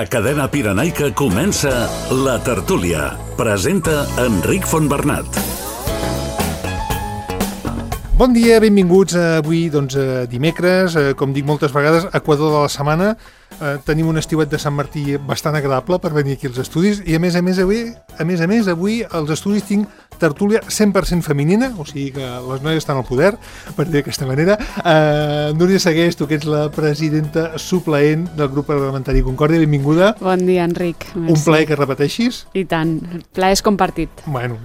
A Cadena Pirenaica comença La Tertúlia. Presenta Enric Fontbernat. Bon dia, benvinguts avui, dimecres, com dic moltes vegades, Equador de la setmana. Tenim un estiuet de Sant Martí bastant agradable per venir aquí als estudis i a més a més avui als estudis tinc tertúlia 100% femenina, o sigui que les noies estan al poder, per dir d'aquesta manera. Núria Segués, tu que ets la presidenta supleent del grup parlamentari Concòrdia, benvinguda. Bon dia, Enric. Merci. Un plaer que repeteixis. I tant, el plaer és compartit. Bueno,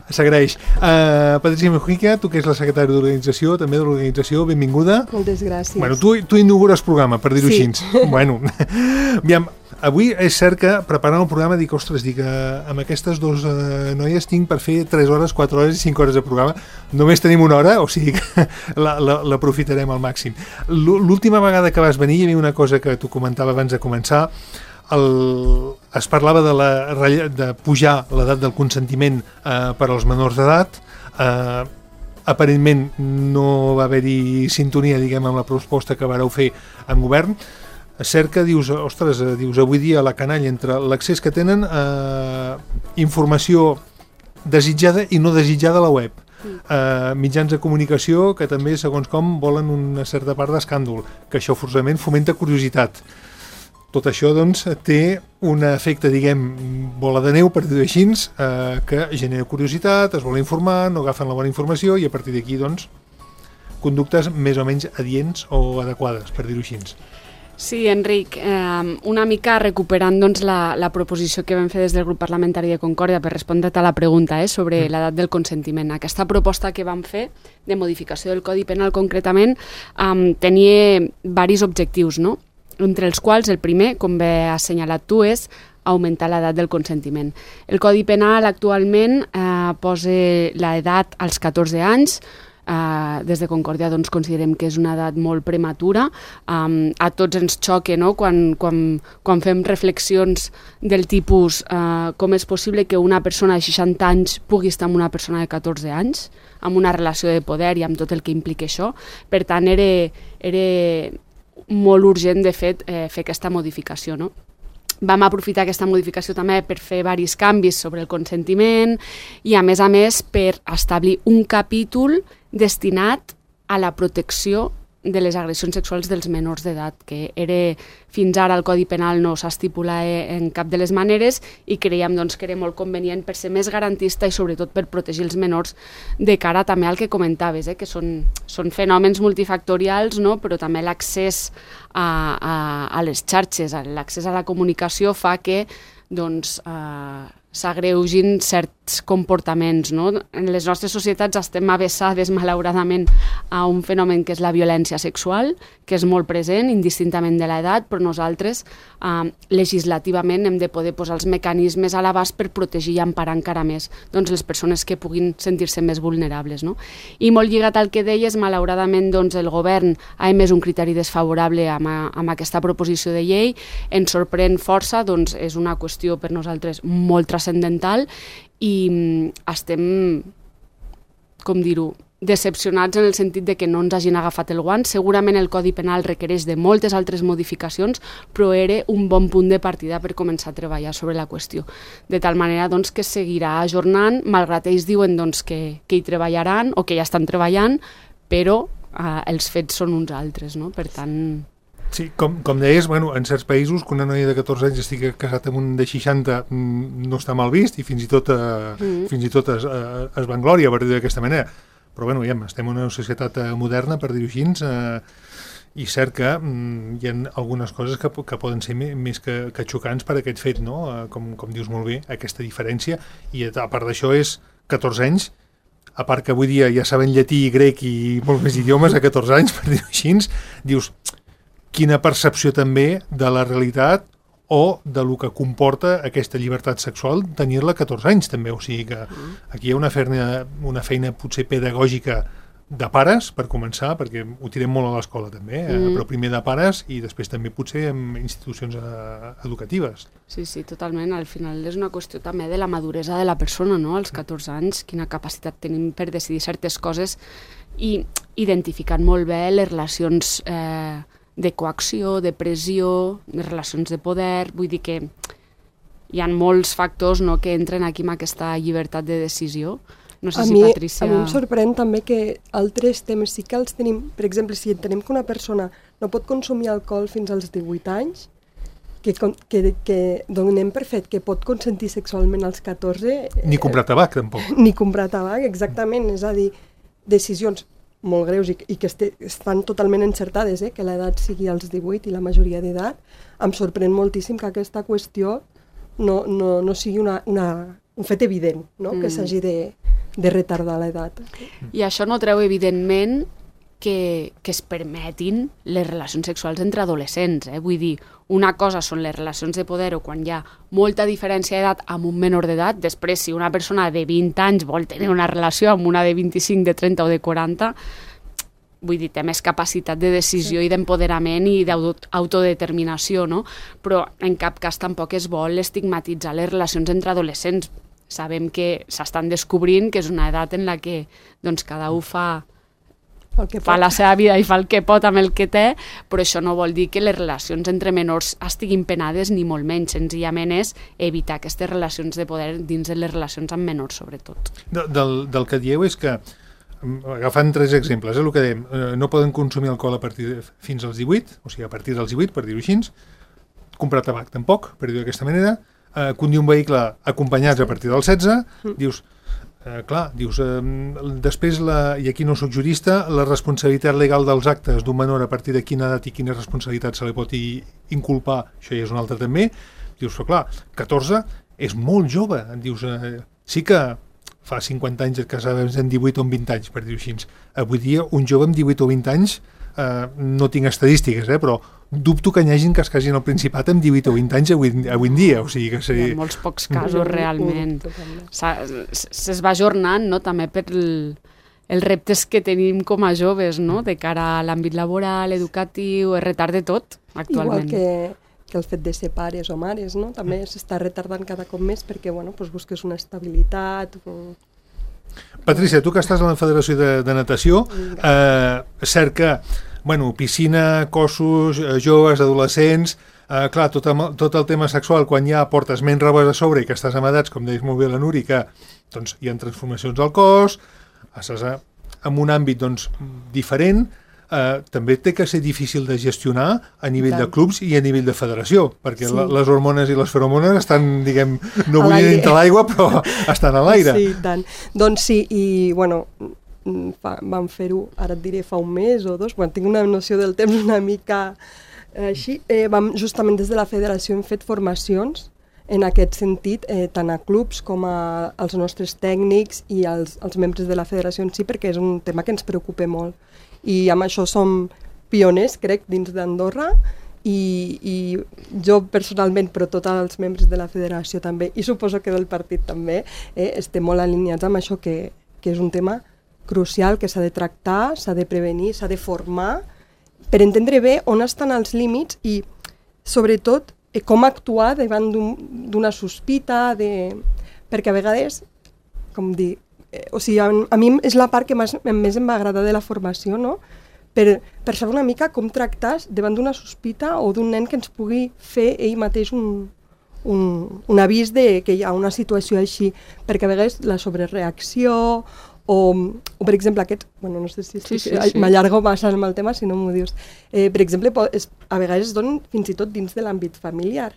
s'agraeix. Patricia Mujica, tu que ets la secretària d'organització, també de l'organització, benvinguda. Moltes gràcies. Bueno, tu inaugures programa, per dir-ho així. Bueno, aviam, avui és cert que preparant el programa dic, amb aquestes dues noies tinc per fer 3 hores, 4 hores i 5 hores de programa. Només tenim 1 hora, o sigui que l'aprofitarem al màxim. L'última vegada que vas venir hi havia una cosa que tu comentava abans de començar. Es parlava de pujar l'edat del consentiment per als menors d'edat. Aparentment no va haver-hi sintonia, diguem, amb la proposta que vareu fer en govern. És cert que dius, avui dia la canalla entre l'accés que tenen a informació desitjada i no desitjada a la web, mitjans de comunicació que també, segons com, volen una certa part d'escàndol, que això forçosament fomenta curiositat. Tot això, doncs, té un efecte, diguem, bola de neu, per dir-ho així, que genera curiositat, es vol informar, no agafen la bona informació i a partir d'aquí, doncs, conductes més o menys adients o adequades, per dir-ho així. Sí, Enric, una mica recuperant doncs, la proposició que vam fer des del grup parlamentari de Concòrdia per respondre't a la pregunta sobre l'edat del consentiment. Aquesta proposta que vam fer de modificació del Codi Penal concretament tenia diversos objectius, no? Entre els quals el primer, com bé has assenyalat tu, és augmentar l'edat del consentiment. El Codi Penal actualment posa l'edat als 14 anys. Des de Concòrdia doncs, considerem que és una edat molt prematura. A tots ens xoca, no? Quan fem reflexions del tipus com és possible que una persona de 60 anys pugui estar amb una persona de 14 anys, amb una relació de poder i amb tot el que implica això. Per tant, era molt urgent, de fet, fer aquesta modificació, no? Vam aprofitar aquesta modificació també per fer diversos canvis sobre el consentiment i, a més, per establir un capítol destinat a la protecció de les agressions sexuals dels menors d'edat, que fins ara el Codi Penal no s'estipula en cap de les maneres i creiem doncs, que era molt convenient per ser més garantista i sobretot per protegir els menors de cara també al que comentaves, que són fenòmens multifactorials, no? Però també l'accés a les xarxes, l'accés a la comunicació fa que doncs, s'agreugin certs comportaments, no? En les nostres societats estem avessades, malauradament, a un fenomen que és la violència sexual, que és molt present, indistintament de l'edat, però nosaltres legislativament hem de poder posar els mecanismes a l'abast per protegir i emparar encara més doncs, les persones que puguin sentir-se més vulnerables, no? I molt lligat al que deies, malauradament doncs, el govern ha emès un criteri desfavorable amb aquesta proposició de llei. Ens sorprèn força, doncs és una qüestió per nosaltres molt transcendental i estem, com dir-ho, decepcionats en el sentit de que no ens hagin agafat el guant. Segurament el Codi Penal requereix de moltes altres modificacions, però era un bon punt de partida per començar a treballar sobre la qüestió. De tal manera doncs, que seguirà ajornant, malgrat ells diuen doncs, que hi treballaran o que ja estan treballant, però els fets són uns altres, no? Per tant... Sí, com deies, en certs països que una noia de 14 anys estigui casat amb un de 60 no està mal vist i fins i tot es vanglòria, per dir d'aquesta manera. Però estem en una societat moderna, per dir-ho així, i cert que hi ha algunes coses que poden ser més que xocants per aquest fet, no? Com dius molt bé, aquesta diferència, i a part d'això és 14 anys, a part que avui dia ja saben llatí, grec i molts més idiomes a 14 anys, per dir-ho així, dius... Quina percepció també de la realitat o de lo que comporta aquesta llibertat sexual tenir-la a 14 anys també, o sigui que aquí hi ha una feina potser pedagògica de pares, per començar, perquè ho tirem molt a l'escola també, però primer de pares i després també potser en institucions educatives. Sí, totalment. Al final és una qüestió també de la maduresa de la persona, no? Als 14 anys, quina capacitat tenim per decidir certes coses i identificant molt bé les relacions de coacció, de pressió, de relacions de poder, vull dir que hi ha molts factors, no, que entren aquí amb aquesta llibertat de decisió. No sé si Patrícia... A mi em sorprèn també que altres temes sí que els tenim. Per exemple, si entenem que una persona no pot consumir alcohol fins als 18 anys, que donem per fet que pot consentir sexualment als 14... Ni comprar tabac, tampoc. Ni comprar tabac, exactament. És a dir, decisions molt greus i que estan totalment encertades, que l'edat sigui als 18 i la majoria d'edat. Em sorprèn moltíssim que aquesta qüestió no sigui un fet evident, no? Que s'hagi de retardar l'edat. I això no treu, evidentment, que es permetin les relacions sexuals entre adolescents. Vull dir, una cosa són les relacions de poder o quan hi ha molta diferència d'edat amb un menor d'edat. Després, si una persona de 20 anys vol tenir una relació amb una de 25, de 30 o de 40, vull dir, té més capacitat de decisió i d'empoderament i d'autodeterminació, no? Però en cap cas tampoc es vol estigmatitzar les relacions entre adolescents. Sabem que s'estan descobrint que és una edat en la que cada un fa la seva vida i fa el que pot amb el que té, però això no vol dir que les relacions entre menors estiguin penades ni molt menys, senzillament és evitar aquestes relacions de poder dins de les relacions amb menors, sobretot. Del que dieu és que, agafant 3 exemples, el que dèiem, no poden consumir alcohol fins als 18, o sigui, a partir dels 18, per dir-ho així, comprar tabac tampoc, per dir-ho d'aquesta manera, conduir un vehicle acompanyats a partir dels 16, dius, després, i aquí no soc jurista, la responsabilitat legal dels actes d'un menor a partir de quina edat i quina responsabilitat se li pot inculpar, això ja és un altre també, dius, però clar, 14 és molt jove, dius, sí que fa 50 anys que casaves en 18 o 20 anys, per dir-ho així. Avui dia, un jove amb 18 o 20 anys, no tinc estadístiques, però dubto que n'hi hagin que es casin al Principat amb 18 o 20 anys avui en dia. O sigui que seria... Hi ha molts pocs casos, realment. Es va ajornant, no?, també per els reptes que tenim com a joves, no?, de cara a l'àmbit laboral, educatiu, es retarda tot, actualment. Igual que el fet de ser pares o mares, no?, també s'està retardant cada cop més perquè, busques una estabilitat... Patrícia, tu que estàs a la Federació de Natació, cert que piscina, cossos, joves, adolescents, clar, tot el tema sexual, quan ja portes menys robes a sobre i que estàs amb edats, com deies molt bé la Nuri, que hi ha transformacions al cos, estàs en un àmbit diferent, també té que ser difícil de gestionar a nivell de clubs i a nivell de federació, perquè les hormones i les feromones estan, diguem, no vull dir dintre l'aigua, però estan a l'aire. Sí, tant. Doncs sí, i vam fer-ho, ara et diré, fa un mes o 2, tinc una noció del temps una mica així. Justament des de la federació hem fet formacions en aquest sentit, tant a clubs com als nostres tècnics i als membres de la federació en si, perquè és un tema que ens preocupa molt. I amb això som pioners, crec, dins d'Andorra, i jo personalment, però tots els membres de la federació també, i suposo que del partit també, estem molt alineats amb això, que és un tema crucial, que s'ha de tractar, s'ha de prevenir, s'ha de formar, per entendre bé on estan els límits i, sobretot, com actuar davant d'una sospita, perquè a vegades, com dir, a mi és la part que més em va agradar de la formació, no? Per saber una mica com tractar davant d'una sospita o d'un nen que ens pugui fer ell mateix un avís que hi ha una situació així, perquè a vegades la sobrereacció o per exemple aquests, no sé si m'allargo massa amb el tema si no m'ho dius, per exemple a vegades es donen fins i tot dins de l'àmbit familiar.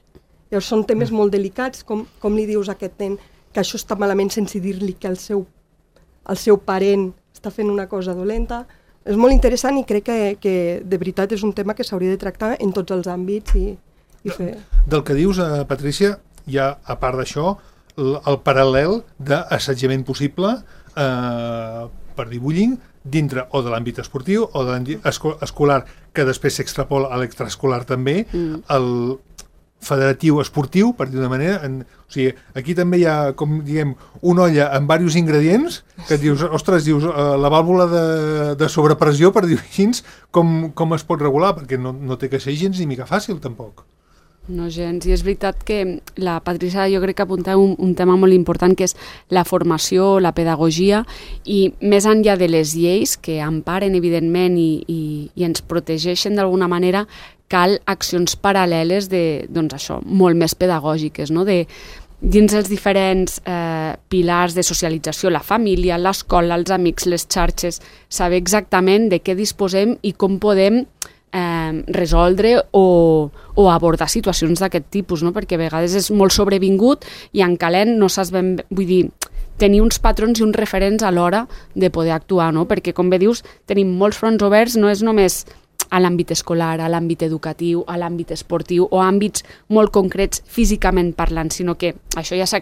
Llavors són temes molt delicats, com li dius a aquest nen que això està malament sense dir-li que el seu parent està fent una cosa dolenta. És molt interessant i crec que de veritat és un tema que s'hauria de tractar en tots els àmbits i fer... Del que dius, Patrícia, hi ha, a part d'això, el paral·lel d'assetjament possible per dir bullying dintre o de l'àmbit esportiu o de l'àmbit escolar, que després s'extrapola a l'extraescolar també, el federatiu esportiu, per dir d'una manera. O sigui, aquí també hi ha, com diguem, una olla amb diversos ingredients que et dius, ostres, la vàlvula de sobrepressió, per dir-ho així, com es pot regular? Perquè no té que ser gens ni mica fàcil, tampoc. No gens. I és veritat que la Patricia jo crec que apuntava un tema molt important, que és la formació, la pedagogia, i més enllà de les lleis que emparen evidentment i ens protegeixen d'alguna manera, cal accions paral·leles doncs això, molt més pedagògiques, no? Dins els diferents pilars de socialització, la família, l'escola, els amics, les xarxes, saber exactament de què disposem i com podem resoldre o abordar situacions d'aquest tipus, no? Perquè a vegades és molt sobrevingut i en calent no saps ben... Vull dir, tenir uns patrons i uns referents a l'hora de poder actuar, no? Perquè, com bé dius, tenim molts fronts oberts, no és només a l'àmbit escolar, a l'àmbit educatiu, a l'àmbit esportiu o àmbits molt concrets físicament parlant, sinó que això ja s'ha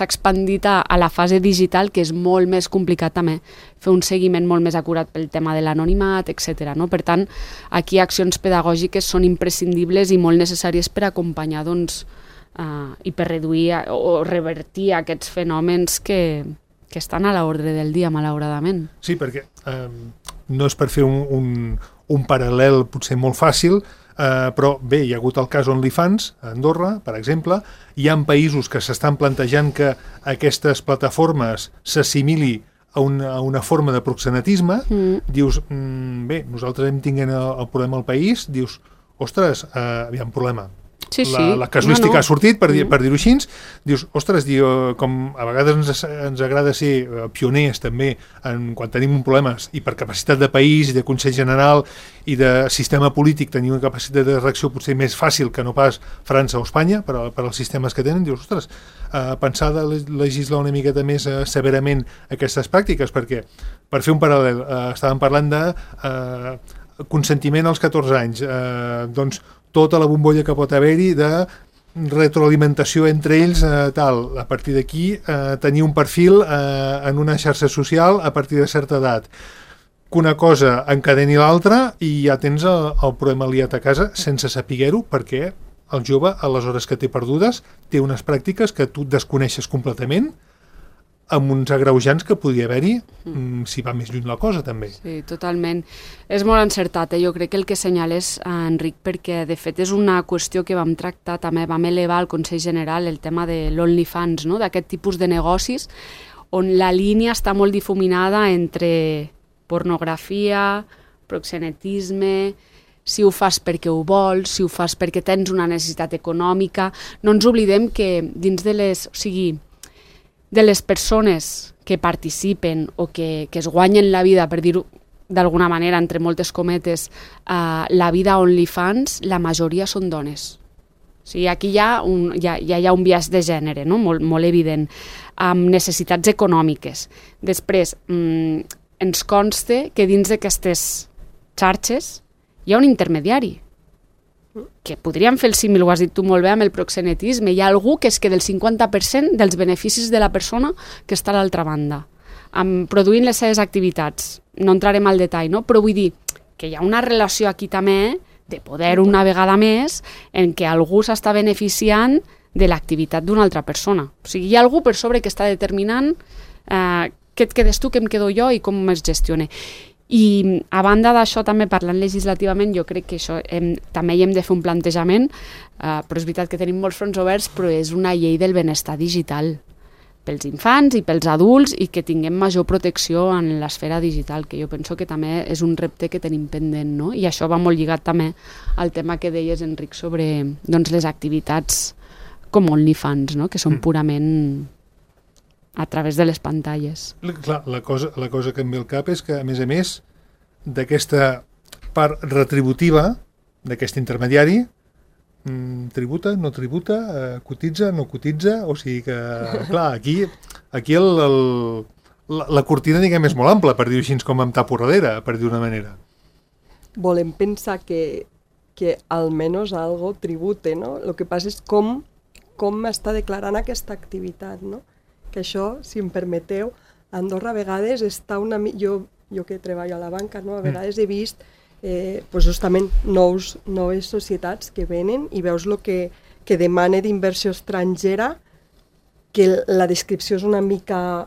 expandit a la fase digital, que és molt més complicat també fer un seguiment molt més acurat pel tema de l'anonimat, etc. No? Per tant, aquí accions pedagògiques són imprescindibles i molt necessàries per acompanyar i per reduir o revertir aquests fenòmens que estan a l'ordre del dia, malauradament. Sí, perquè no és per fer un paral·lel potser molt fàcil, però bé, hi ha hagut el cas OnlyFans a Andorra, per exemple. Hi ha països que s'estan plantejant que aquestes plataformes s'assimili a una forma de proxenetisme. Dius, bé, nosaltres hem tingut el problema al país, dius, ostres, hi ha un problema. Sí. La casuística ha sortit, per dir-ho així. Dius, ostres, com a vegades ens agrada ser pioners també quan tenim un problema i per capacitat de país i de Consell General i de sistema polític tenir una capacitat de reacció potser més fàcil que no pas França o Espanya per als sistemes que tenen. Dius, ostres, pensar de legislar una miqueta més severament aquestes pràctiques, perquè, per fer un paral·lel, estàvem parlant de consentiment als 14 anys, doncs tota la bombolla que pot haver-hi de retroalimentació entre ells, tal. A partir d'aquí, tenir un perfil en una xarxa social a partir de certa edat. Que una cosa encadeni l'altra i ja tens el problema liat a casa sense saber-ho, perquè el jove, a les hores que té perdudes, té unes pràctiques que tu desconeixes completament, amb uns agreujants que podria haver-hi si va més lluny la cosa, també. Sí, totalment. És molt encertat, jo crec que el que senyales, Enric, perquè de fet és una qüestió que vam tractar també, vam elevar al Consell General el tema de l'OnlyFans, no? D'aquest tipus de negocis, on la línia està molt difuminada entre pornografia, proxenetisme, si ho fas perquè ho vols, si ho fas perquè tens una necessitat econòmica. No ens oblidem que dins de les persones que participen o que es guanyen la vida, per dir-ho d'alguna manera, entre moltes cometes, la vida OnlyFans, la majoria són dones. O sigui, aquí hi ha un biaix de gènere, no? Molt evident, amb necessitats econòmiques. Després, ens consta que dins d'aquestes xarxes hi ha un intermediari, que podríem fer el símil, ho has dit tu molt bé, amb el proxenetisme. Hi ha algú que es queda el 50% dels beneficis de la persona que està a l'altra banda, produint les seves activitats. No entrarem al detall, no? Però vull dir que hi ha una relació aquí també de poder una vegada més en què algú s'està beneficiant de l'activitat d'una altra persona. O sigui, hi ha algú per sobre que està determinant què et quedes tu, què em quedo jo i com es gestiona. I a banda d'això, també parlant legislativament, jo crec que això també hi hem de fer un plantejament, però és veritat que tenim molts fronts oberts, però és una llei del benestar digital pels infants i pels adults i que tinguem major protecció en l'esfera digital, que jo penso que també és un repte que tenim pendent, no? I això va molt lligat també al tema que deies, Enric, sobre les activitats com OnlyFans, no? Que són purament a través de les pantalles. Clar, la cosa que em ve al cap és que, a més, d'aquesta part retributiva d'aquest intermediari, tributa, no tributa, cotitza, no cotitza, o sigui que, clar, aquí la cortina, diguem, és molt ampla, per dir-ho així, com amb tapo darrere, per dir-ho d'una manera. Volem pensar que almenys algo tribute, no? El que passa és com està declarant aquesta activitat, no? Que això, si em permeteu, a Andorra a vegades està una... Jo que treballo a la banca, no? A vegades he vist justament noves societats que venen i veus el que demana d'inversió estrangera, que la descripció és una mica...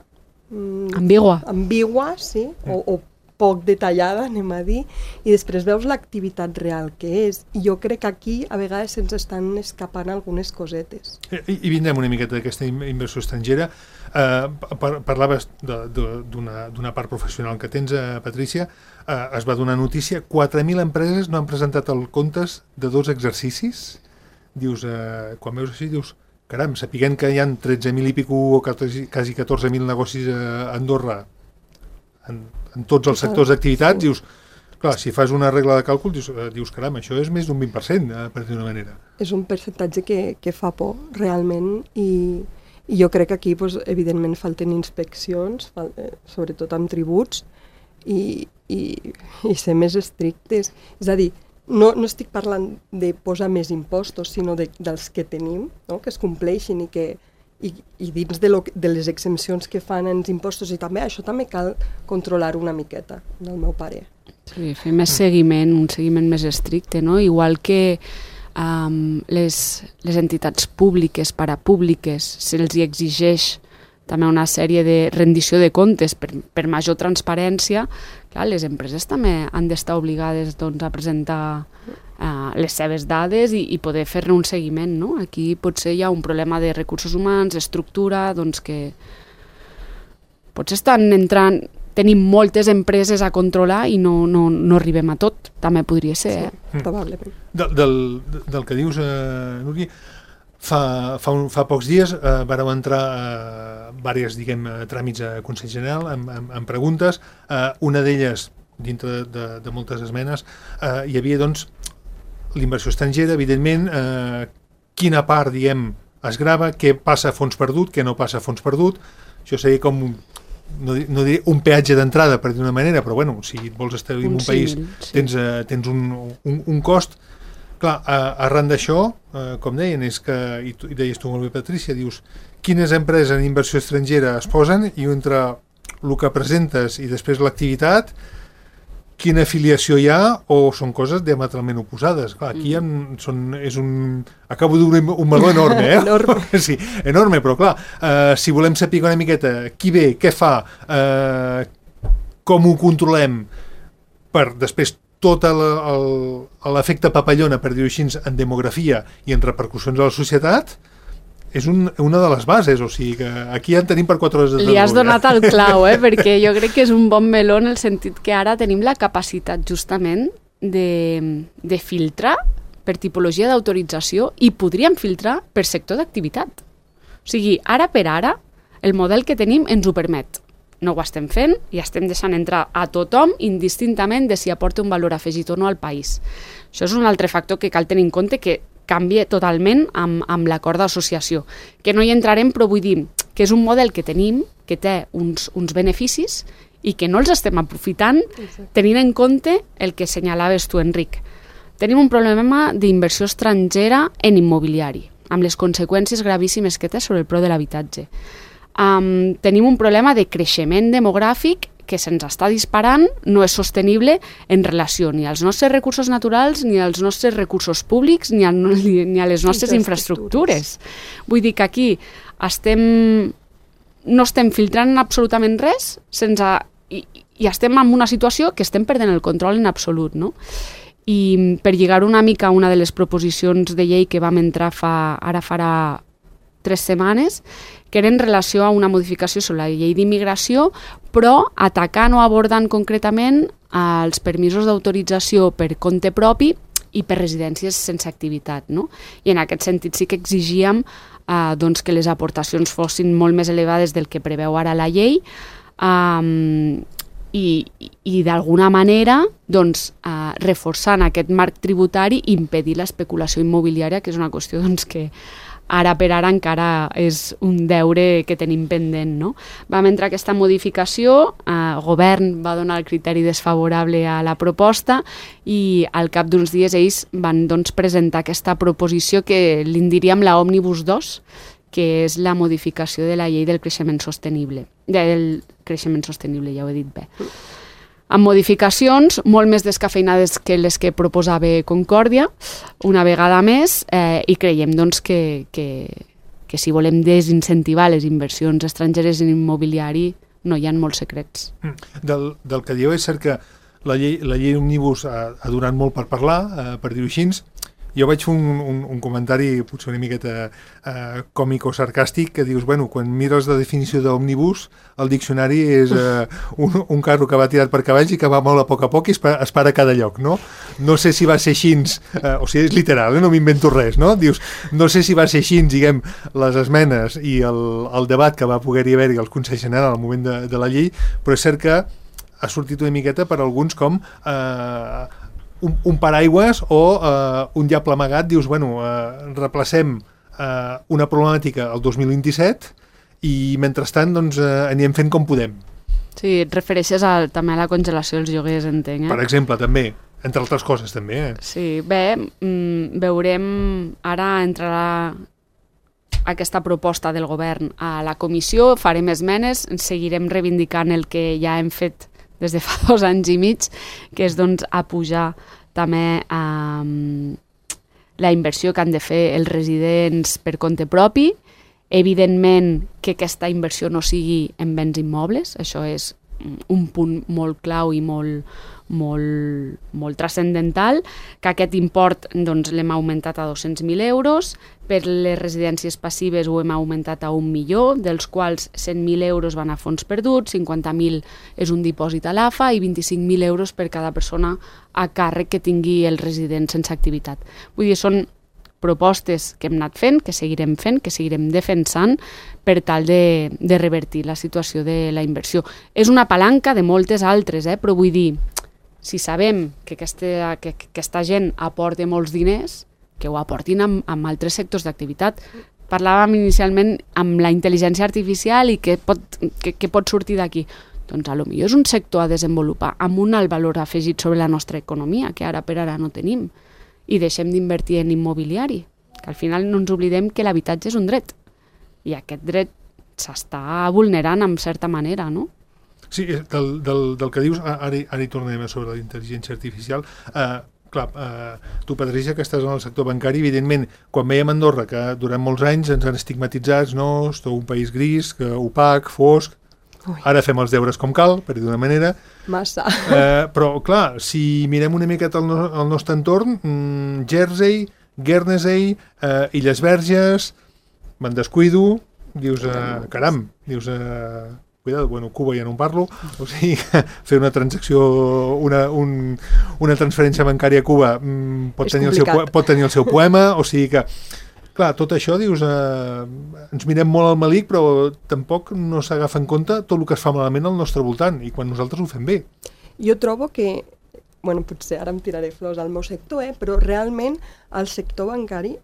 ambigua, sí, o poc detallada, anem a dir, i després veus l'activitat real que és. I jo crec que aquí a vegades se'ns estan escapant algunes cosetes. I vindrem una miqueta d'aquesta inversió estrangera. Parlaves d'una part professional que tens, Patrícia. Es va donar notícia, 4.000 empreses no han presentat els comptes de 2 exercicis. Dius, quan veus així, dius, caram, sapiguent que hi ha 13.000 i pico o quasi 14.000 negocis a Andorra en tots els sectors d'activitats, dius, clar, si fas una regla de càlcul, dius caram, això és més d'un 20%, per dir-ho d'una manera. És un percentatge que fa por, realment, i jo crec que aquí, evidentment, falten inspeccions, sobretot amb tributs, i ser més estrictes. És a dir, no estic parlant de posar més impostos, sinó dels que tenim, no? Que es compleixin i dins de les exempcions que fan els impostos, i també això també cal controlar una miqueta, del meu parer. Sí, fer més seguiment, un seguiment més estricte, no? Igual que les entitats públiques, parapúbliques, se'ls hi exigeix també una sèrie de rendició de comptes per major transparència. Clar, les empreses també han d'estar obligades a presentar les seves dades i poder fer-ne un seguiment, no? Aquí potser hi ha un problema de recursos humans, estructura, que potser tenim moltes empreses a controlar i no arribem a tot, també podria ser. Sí, probablement. Del que dius, Núria, fa pocs dies vàreu entrar diversos, tràmits a Consell General amb preguntes. Una d'elles, dintre de moltes esmenes, hi havia, l'inversió estrangera, evidentment, quina part, es grava, què passa a fons perdut, què no passa a fons perdut. Això seria com, no diré un peatge d'entrada, per dir d'una manera, però bueno, si et vols establir en un país, tens un cost. Clar, arran d'això, com deien, és que, i deies tu molt bé, Patrícia, dius, quines empreses en inversió estrangera es posen, i entre el que presentes i després l'activitat, quina afiliació hi ha, o són coses diametralment oposades. Clar, aquí acabo d'obrir un meló enorme, Enorme. Sí, enorme, però clar, si volem saber una miqueta qui ve, què fa, com ho controlem, per després tot l'efecte papallona, per dir-ho així, en demografia i en repercussions a la societat, és una de les bases, o sigui que aquí ja en tenim per 4 hores de Li has donat el clau, perquè jo crec que és un bon meló en el sentit que ara tenim la capacitat justament de filtrar per tipologia d'autorització i podríem filtrar per sector d'activitat. O sigui, ara per ara, el model que tenim ens ho permet. No ho estem fent i estem deixant entrar a tothom indistintament de si aporta un valor afegit o no al país. Això és un altre factor que cal tenir en compte, que canvia totalment amb l'acord d'associació. Que no hi entrarem, però vull dir que és un model que tenim, que té uns beneficis i que no els estem aprofitant tenint en compte el que senyalaves tu, Enric. Tenim un problema d'inversió estrangera en immobiliari, amb les conseqüències gravíssimes que té sobre el preu de l'habitatge. Tenim un problema de creixement demogràfic que se'ns està disparant, no és sostenible en relació ni als nostres recursos naturals, ni als nostres recursos públics, ni a les nostres infraestructures. Vull dir que aquí no estem filtrant absolutament res i estem en una situació que estem perdent el control en absolut, no? I per lligar una mica a una de les proposicions de llei que vam entrar ara farà 3 setmanes, que era en relació a una modificació sobre la llei d'immigració, però atacant o abordant concretament els permisos d'autorització per compte propi i per residències sense activitat, no? I en aquest sentit sí que exigíem que les aportacions fossin molt més elevades del que preveu ara la llei, i d'alguna manera reforçant aquest marc tributari impedir l'especulació immobiliària, que és una qüestió que ara per ara encara és un deure que tenim pendent, no? Vam entrar aquesta modificació, el govern va donar el criteri desfavorable a la proposta i al cap d'uns dies ells van presentar aquesta proposició que li diríem la Òmnibus 2, que és la modificació de la llei del creixement sostenible. Del creixement sostenible, ja ho he dit bé. Amb modificacions molt més descafeinades que les que proposava Concòrdia, una vegada més, i creiem que si volem desincentivar les inversions estrangeres en immobiliari, no hi ha molts secrets. Del que dieu és cert que la llei Òmnibus ha donat molt per parlar, per dir-ho així. Jo vaig fer un comentari potser una miqueta còmic o sarcàstic que dius, bueno, quan mires la definició d'òmnibus, el diccionari és un carro que va tirat per cavalls i que va molt a poc i es para a cada lloc, no? No sé si va ser així, o sigui, és literal, no m'invento res, no? Dius, no sé si va ser així, diguem, les esmenes i el debat que va poder-hi haver-hi al Consell General al moment de la llei, però és cert que ha sortit una miqueta per alguns com un paraigües o un diable amagat, dius, bueno, replacem una problemàtica al 2027 i mentrestant doncs anirem fent com podem. Sí, et refereixes també a la congelació dels lloguers, entenc, Per exemple, també, entre altres coses també. Sí, bé, veurem, ara entrarà aquesta proposta del govern a la comissió, farem esmenes, seguirem reivindicant el que ja hem fet des de fa 2 anys i mig, que és doncs apujar també la inversió que han de fer els residents per compte propi. Evidentment que aquesta inversió no sigui en béns immobles, això és un punt molt clau i molt transcendental, que aquest import doncs, l'hem augmentat a 200.000 euros, per les residències passives ho hem augmentat a 1 milió, dels quals 100.000 euros van a fons perduts, 50.000 és un dipòsit a l'AFA i 25.000 euros per cada persona a càrrec que tingui el resident sense activitat. Vull dir, són propostes que hem anat fent, que seguirem defensant per tal de revertir la situació de la inversió. És una palanca de moltes altres, però vull dir, si sabem que aquesta gent aporta molts diners, que ho aportin amb altres sectors d'activitat. Parlàvem inicialment amb la intel·ligència artificial i què pot sortir d'aquí. Doncs potser és un sector a desenvolupar amb un alt valor afegit sobre la nostra economia, que ara per ara no tenim. I deixem d'invertir en immobiliari, que al final no ens oblidem que l'habitatge és un dret i aquest dret s'està vulnerant en certa manera, no? Sí, del que dius, ara hi tornarem sobre la intel·ligència artificial. Clar, tu, Patricia, que estàs en el sector bancari, evidentment, quan veiem Andorra, que durant molts anys ens han estigmatitzats, no, és un país gris, opac, fosc. Ara fem els deures com cal, per dir d'una manera. Massa. Però, clar, si mirem una miqueta el nostre entorn, Jersey, Guernsey, Illes Verges, me'n descuido, dius, caram, dius, cuidado, bueno, Cuba ja no en parlo, o sigui, fer una transacció, una transferència bancària a Cuba pot tenir el seu poema, o sigui que clar, tot això, dius, ens mirem molt al malic, però tampoc no s'agafa en compte tot el que es fa malament al nostre voltant, i quan nosaltres ho fem bé. Jo trobo que, bueno, potser ara em tiraré flors al meu sector, però realment el sector bancari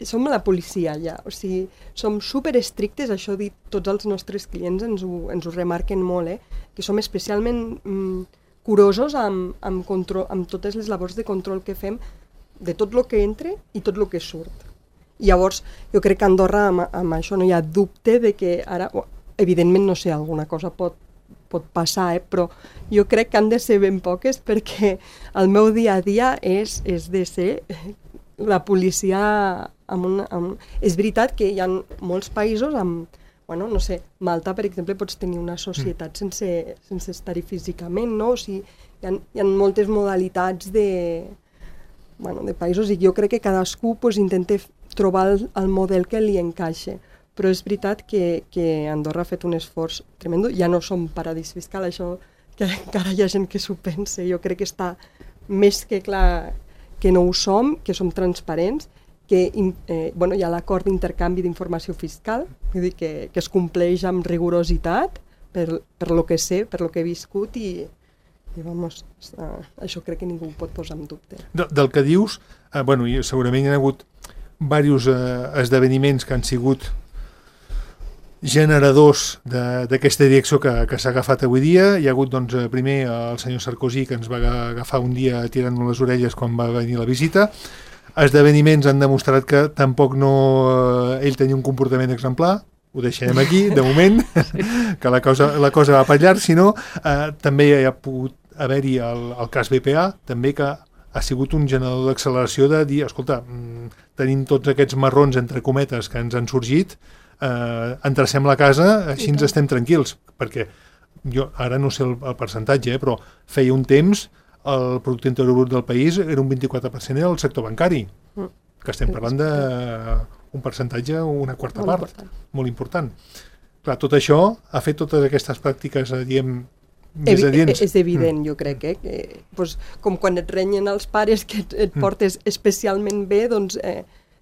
som la policia ja, o sigui, som superestrictes, això dit, tots els nostres clients ens ho remarquen molt, que som especialment curosos amb totes les labors de control que fem de tot el que entra i tot el que surt. I llavors, jo crec que a Andorra amb això no hi ha dubte de que ara, evidentment, no sé, alguna cosa pot passar, però jo crec que han de ser ben poques perquè el meu dia a dia és de ser la policia és veritat que hi ha molts països amb, bueno, no sé, Malta, per exemple, pots tenir una societat sense estar-hi físicament, no? O sigui, hi ha moltes modalitats de països i jo crec que cadascú intenta trobar el model que li encaixa. Però és veritat que Andorra ha fet un esforç tremendo. Ja no som paradís fiscal, això que encara hi ha gent que s'ho pensa. Jo crec que està més que clar que no ho som, que som transparents, que hi ha l'acord d'intercanvi d'informació fiscal, vull dir que es compleix amb rigorositat per lo que sé, per lo que he viscut i vamos, això crec que ningú ho pot posar en dubte. Del que dius, segurament hi ha hagut diversos esdeveniments que han sigut generadors d'aquesta direcció que s'ha agafat avui dia. Hi ha hagut, doncs, primer el senyor Sarkozy, que ens va agafar un dia tirant-nos les orelles quan va venir la visita. Esdeveniments han demostrat que tampoc ell tenia un comportament exemplar, ho deixarem aquí, de moment, que la cosa va per llarg, sinó també hi ha pogut haver-hi el cas BPA, també que ha sigut un generador d'acceleració de dir, escolta, tenim tots aquests marrons, entre cometes, que ens han sorgit, endrecem la casa, així ens estem tranquils, perquè jo ara no sé el percentatge, però feia un temps el producte interior brut del país era un 24% del sector bancari, que estem parlant d'un percentatge, una quarta part, molt important. Clar, tot això ha fet totes aquestes pràctiques, diem, més adients. És evident, jo crec, que doncs, com quan et renyen els pares que et portes especialment bé, doncs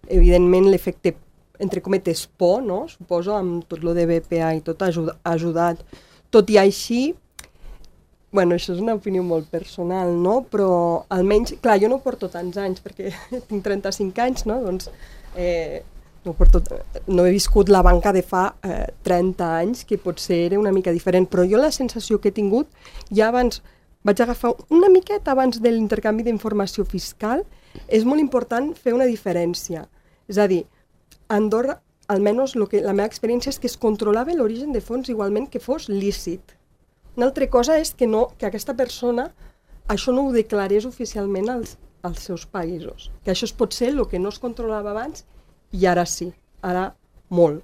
evidentment l'efecte, entre cometes, por, no? Suposo, amb tot lo de BPA i tot ha ajudat. Tot i així, bueno, això és una opinió molt personal, no? Però almenys, clar, jo no porto tants anys, perquè tinc 35 anys, no? Doncs no he viscut la banca de fa 30 anys, que potser era una mica diferent, però jo la sensació que he tingut, ja abans, vaig agafar una miqueta abans de l'intercanvi d'informació fiscal, és molt important fer una diferència. És a dir, a Andorra, almenys la meva experiència és que es controlava l'origen de fons igualment que fos lícit. Una altra cosa és que aquesta persona això no ho declarés oficialment als seus països. Que això és potser el que no es controlava abans i ara sí, ara molt.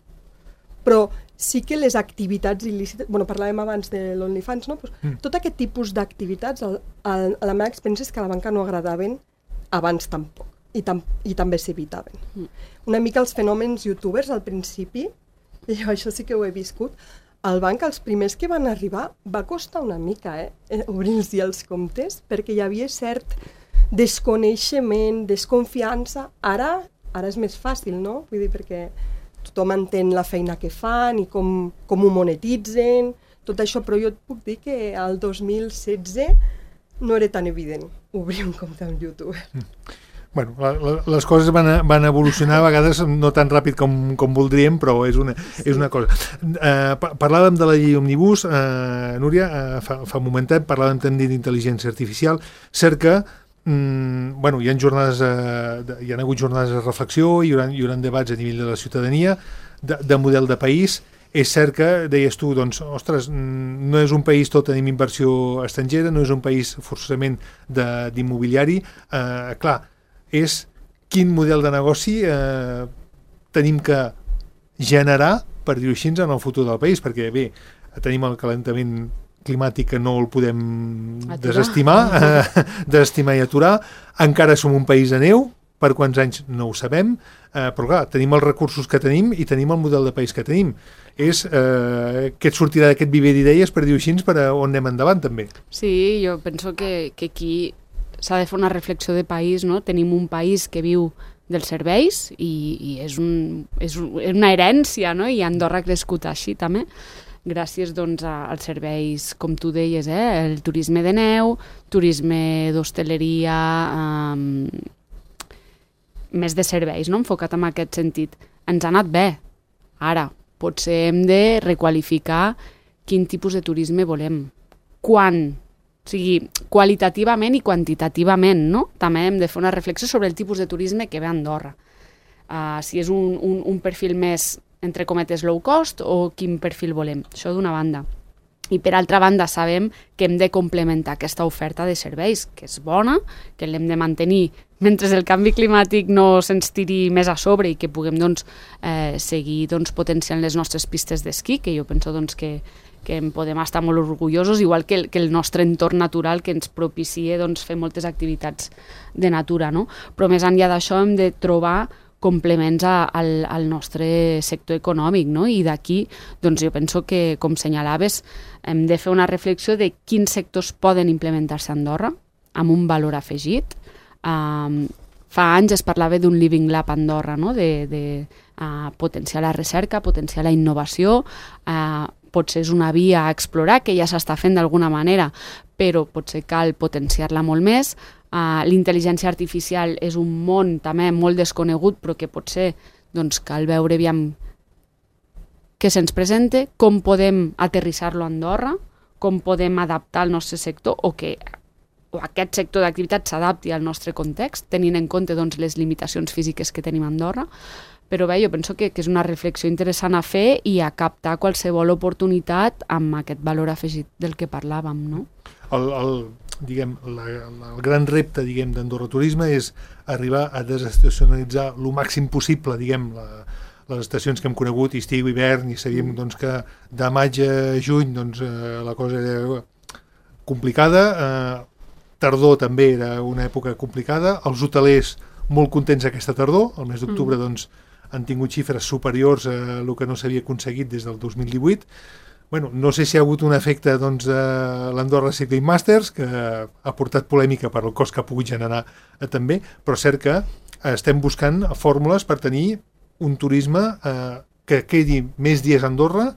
Però sí que les activitats il·lícites, parlàvem abans de l'OnlyFans, no? Tot aquest tipus d'activitats, a la meva experiència és que a la banca no agradaven abans tampoc. I també s'evitaven. Una mica els fenòmens youtubers al principi, i això sí que ho he viscut, al banc els primers que van arribar va costar una mica obrir-los els comptes, perquè hi havia cert desconeixement, desconfiança. Ara és més fàcil, no? Vull dir, perquè tothom entén la feina que fan i com ho monetitzen, tot això, però jo et puc dir que al 2016 no era tan evident obrir un compte amb YouTube. Bueno, les coses van evolucionar a vegades no tan ràpid com voldríem, però és una cosa. Parlàvem de la llei Òmnibus, Núria, fa un momentet, parlàvem també d'intel·ligència artificial. Cert que hi ha hagut jornades de reflexió, hi haurà debats a nivell de la ciutadania, de model de país. És cert que, deies tu, doncs, ostres, no és un país tot tenim inversió estrangera, no és un país forçosament d'immobiliari. Clar, és quin model de negoci tenim que generar, per dir-ho així, en el futur del país, perquè bé, tenim el calentament climàtic que no el podem desestimar i aturar, encara som un país de neu, per quants anys no ho sabem, però clar, tenim els recursos que tenim i tenim el model de país que tenim. És què et sortirà d'aquest viver d'idees, per dir-ho així, per on anem endavant també. Sí, jo penso que aquí s'ha de fer una reflexió de país, no? Tenim un país que viu dels serveis i és una herència, no? I Andorra ha crescut així també, gràcies doncs als serveis, com tu deies, el turisme de neu, turisme d'hostaleria, més de serveis, no? Enfocat en aquest sentit. Ens ha anat bé. Ara, potser hem de requalificar quin tipus de turisme volem. Quan? O sigui, qualitativament i quantitativament, no? També hem de fer una reflexió sobre el tipus de turisme que ve a Andorra. Si és un perfil més, entre cometes, low cost o quin perfil volem. Això d'una banda. I per altra banda sabem que hem de complementar aquesta oferta de serveis, que és bona, que l'hem de mantenir mentre el canvi climàtic no se'ns tiri més a sobre i que puguem seguir potenciant les nostres pistes d'esquí, que jo penso que en podem estar molt orgullosos, igual que el nostre entorn natural que ens propicia fer moltes activitats de natura, no? Però més enllà d'això hem de trobar complements al nostre sector econòmic, no? I d'aquí, jo penso que, com senyalaves, hem de fer una reflexió de quins sectors poden implementar-se a Andorra amb un valor afegit. Fa anys es parlava d'un Living Lab a Andorra, no? De potenciar la recerca, potenciar la innovació, potser és una via a explorar, que ja s'està fent d'alguna manera, però potser cal potenciar-la molt més. L'intel·ligència artificial és un món també molt desconegut, però que potser cal veure aviam què se'ns presenta, com podem aterrissar-lo a Andorra, com podem adaptar el nostre sector o aquest sector d'activitat s'adapti al nostre context, tenint en compte les limitacions físiques que tenim a Andorra. Però bé, jo penso que és una reflexió interessant a fer i a captar qualsevol oportunitat amb aquest valor afegit del que parlàvem, no? El gran repte d'Andorra Turisme és arribar a desestacionalitzar el màxim possible les estacions que hem conegut, estiu, hivern, i sabíem doncs, que de maig a juny doncs, la cosa era complicada, tardor també era una època complicada, els hotelers molt contents aquesta tardor, el mes d'octubre doncs, han tingut xifres superiors a el que no s'havia aconseguit des del 2018. Bueno, no sé si ha hagut un efecte doncs, de l'Andorra Cycling Masters, que ha portat polèmica per el cost que ha pogut generar també, però és cert que estem buscant fórmules per tenir un turisme que quedi més dies a Andorra,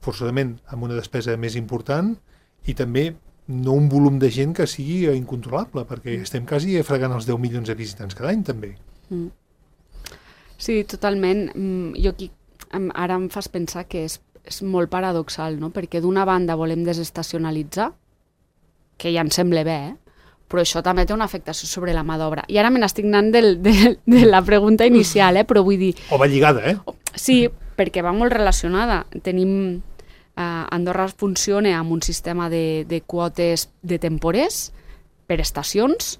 forçosament amb una despesa més important, i també no un volum de gent que sigui incontrolable, perquè estem quasi fregant els 10 milions de visitants cada any, també. Sí, totalment. Jo aquí ara em fas pensar que és molt paradoxal, no? Perquè d'una banda volem desestacionalitzar, que ja em sembla bé, però això també té una afectació sobre la mà d'obra. I ara me n'estic anant de la pregunta inicial, però vull dir... O va lligada, Sí, perquè va molt relacionada. Tenim... Andorra funciona amb un sistema de quotes de temporers per estacions,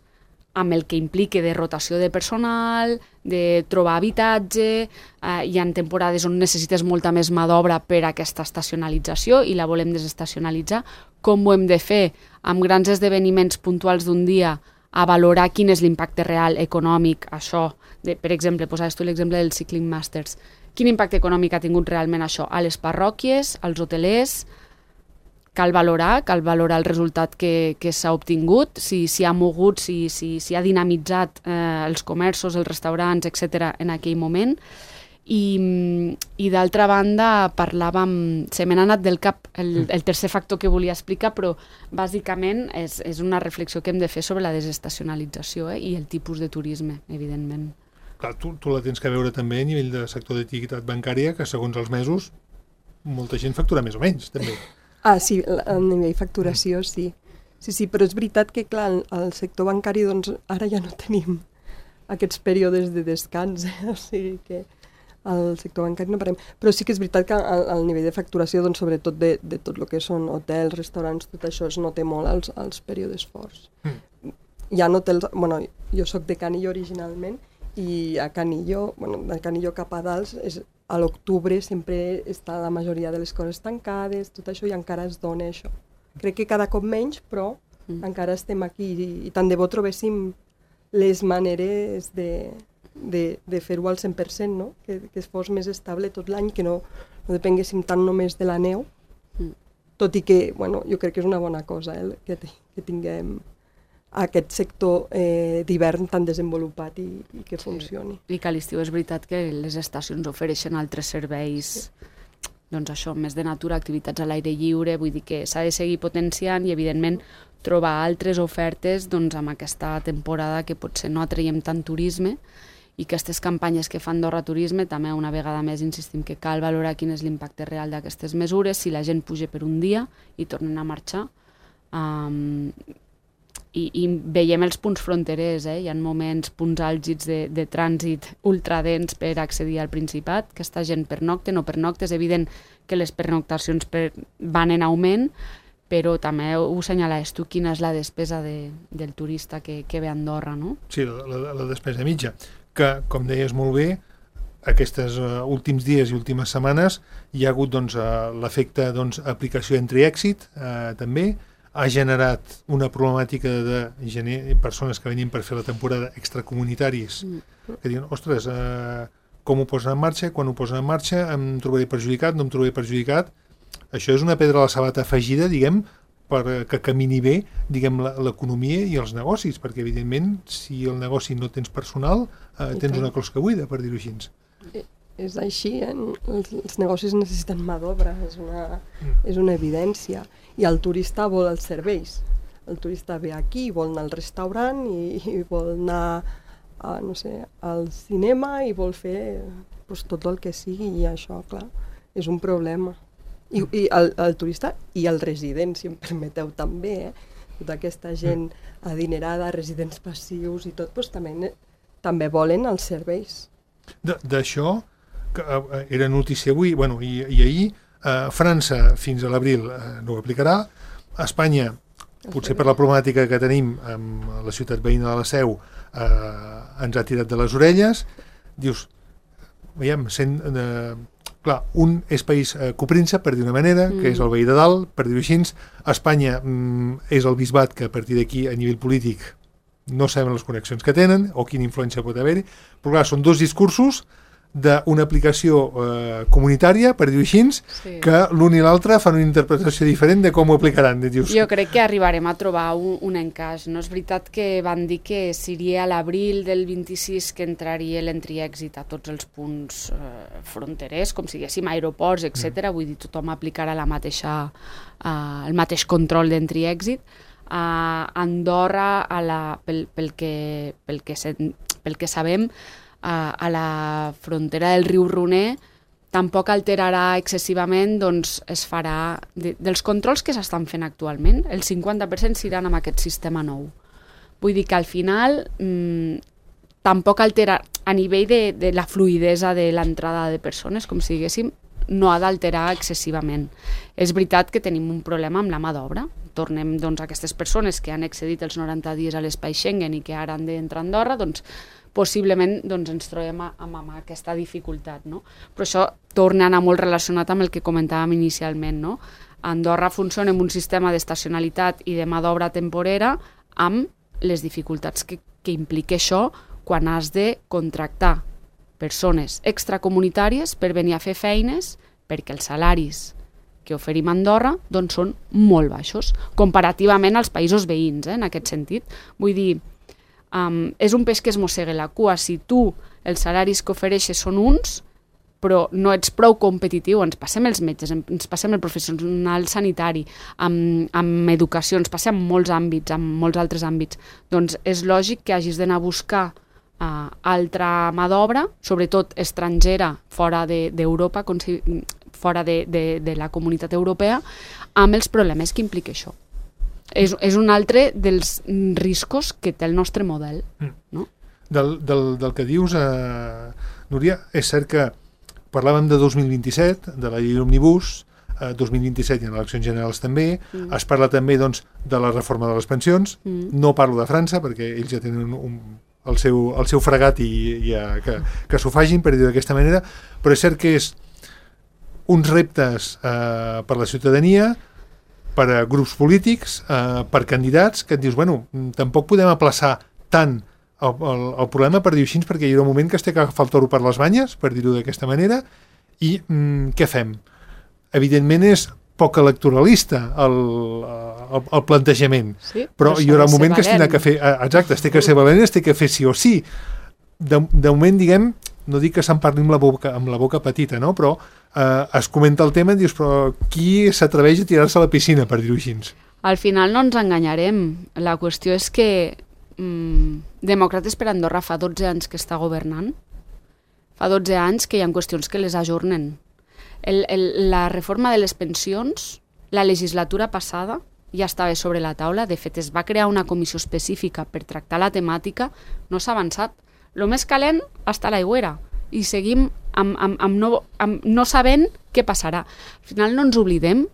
amb el que implica de rotació de personal, de trobar habitatge, hi ha temporades on necessites molta més mà d'obra per a aquesta estacionalització i la volem desestacionalitzar. Com ho hem de fer amb grans esdeveniments puntuals d'un dia a valorar quin és l'impacte real econòmic, això, per exemple, posaves tu l'exemple del Cycling Masters, quin impacte econòmic ha tingut realment això a les parròquies, als hotelers. Cal valorar el resultat que s'ha obtingut, si ha mogut, si ha dinamitzat els comerços, els restaurants, etc. en aquell moment. I d'altra banda, se me n'ha anat del cap el tercer factor que volia explicar, però bàsicament és una reflexió que hem de fer sobre la desestacionalització i el tipus de turisme, evidentment. Clar, tu la tens que veure també a nivell de sector d'activitat bancària, que segons els mesos molta gent factura més o menys, també. Sí, a nivell facturació sí. Sí, però és veritat que, clar, al sector bancari doncs, ara ja no tenim aquests períodes de descans, o sigui que al sector bancari no parem. Però sí que és veritat que al nivell de facturació, doncs, sobretot de tot el que són hotels, restaurants, tot això es nota molt als períodes forts. Hi ha hotels... Bueno, jo soc de Canillo originalment, i a Canillo, de Canillo cap a dalt, a l'octubre sempre està la majoria de les coses tancades, tot això, i encara es dona això. Crec que cada cop menys, però encara estem aquí, i tant de bo trobéssim les maneres de fer-ho al 100%, no? Que es fos més estable tot l'any, que no depenguéssim tant només de la neu, tot i que, jo crec que és una bona cosa, que tinguem aquest sector d'hivern tan desenvolupat i que funcioni. I que a l'estiu és veritat que les estacions ofereixen altres serveis, doncs això, més de natura, activitats a l'aire lliure, vull dir que s'ha de seguir potenciant i, evidentment, trobar altres ofertes doncs, amb aquesta temporada que potser no atraiem tant turisme, i aquestes campanyes que fan Andorra Turisme també una vegada més insistim que cal valorar quin és l'impacte real d'aquestes mesures, si la gent puja per un dia i tornen a marxar. I veiem els punts fronterers, hi ha moments, punts àlgids de trànsit ultradens per accedir al Principat, que aquesta gent pernocta, no pernocta, és evident que les pernoctacions van en augment, però també ho assenyalaves tu, quina és la despesa del turista que ve a Andorra, no? Sí, la despesa mitja, que, com deies molt bé, aquests últims dies i últimes setmanes hi ha hagut l'efecte aplicació entre èxit, també, ha generat una problemàtica de persones que venien per fer la temporada extracomunitaris, que diuen, ostres, com ho posen en marxa, quan ho posen en marxa, em trobaré perjudicat, no em trobaré perjudicat. Això és una pedra a la sabata afegida, diguem, que camini bé, diguem, l'economia i els negocis, perquè, evidentment, si el negoci no tens personal, tens una closca buida, per dir-ho així. És així, els negocis necessiten mà d'obra, és una evidència. I el turista vol els serveis. El turista ve aquí, vol anar al restaurant i vol anar al cinema i vol fer tot el que sigui, i això, clar, és un problema. I el turista i el resident, si em permeteu també, tota aquesta gent adinerada, residents passius i tot, també volen els serveis. D'això, que era notícia avui, i ahir, França fins a l'abril no ho aplicarà, Espanya, potser per la problemàtica que tenim amb la ciutat veïna de la Seu, ens ha tirat de les orelles, dius, veiem, clar, un és país copríncep, per dir una manera, que és el veí de dalt, per dir-ho així. Espanya és el bisbat que a partir d'aquí, a nivell polític, no saben les connexions que tenen o quina influència pot haver-hi, però clar, són dos discursos d'una aplicació comunitària, per dir-ho així, que l'un i l'altre fan una interpretació diferent de com ho aplicaran. Jo crec que arribarem a trobar un encaix. No és veritat que van dir que seria a l'abril del 26 que entraria l'entry-exit a tots els punts fronterers, com si diguéssim aeroports, etc. Vull dir, tothom aplicarà el mateix control d'entry-exit. Andorra, pel que sabem, a la frontera del riu Roner tampoc alterarà excessivament, doncs es farà dels controls que s'estan fent actualment, el 50% s'iran amb aquest sistema nou. Vull dir que al final tampoc altera a nivell de la fluidesa de l'entrada de persones, com si diguéssim, no ha d'alterar excessivament. És veritat que tenim un problema amb la mà d'obra. Tornem doncs, a aquestes persones que han excedit els 90 dies a l'espai Schengen i que ara han d'entrar a Andorra, doncs possiblement ens trobem amb aquesta dificultat. No? Però això torna a anar molt relacionat amb el que comentàvem inicialment. No? Andorra funciona amb un sistema d'estacionalitat i de mà d'obra temporera amb les dificultats que implica això quan has de contractar persones extracomunitàries per venir a fer feines perquè els salaris que oferim a Andorra doncs són molt baixos, comparativament als països veïns, en aquest sentit. Vull dir, és un peix que es mossega la cua. Si tu els salaris que ofereixes són uns, però no ets prou competitiu, ens passem els metges, ens passem el professional sanitari, amb educació, ens passem en molts àmbits, en molts altres àmbits, doncs és lògic que hagis d'anar a buscar altra mà d'obra, sobretot estrangera, fora d'Europa, fora de la comunitat europea, amb els problemes que implica això. És un altre dels riscos que té el nostre model. No? Del que dius, Núria, és cert que parlàvem de 2027, de la llei Òmnibus, 2027 hi ha eleccions generals també, es parla també doncs, de la reforma de les pensions, no parlo de França perquè ells ja tenen el seu fregat i que s'ho facin, per dir-ho d'aquesta manera, però és cert que és uns reptes per la ciutadania, per a grups polítics, per candidats, que et dius, bueno, tampoc podem aplaçar tant el problema, per dir-ho així, perquè hi ha un moment que es té que agafar el toro per les banyes, per dir-ho d'aquesta manera, i què fem? Evidentment és poc electoralista el plantejament, però hi haurà un moment que es té que fer, exacte, es té que ser valent, es té que fer sí o sí. De moment, diguem, no dic que se'n parli amb la boca petita, no? Però es comenta el tema i dius, però qui s'atreveix a tirar-se a la piscina, per dir-ho així? Al final no ens enganyarem. La qüestió és que Demòcrates per Andorra fa 12 anys que està governant. Fa 12 anys que hi ha qüestions que les ajornen. La reforma de les pensions, la legislatura passada, ja estava sobre la taula. De fet, es va crear una comissió específica per tractar la temàtica. No s'ha avançat. El més calent està a l'aigüera i seguim no sabent què passarà. Al final no ens oblidem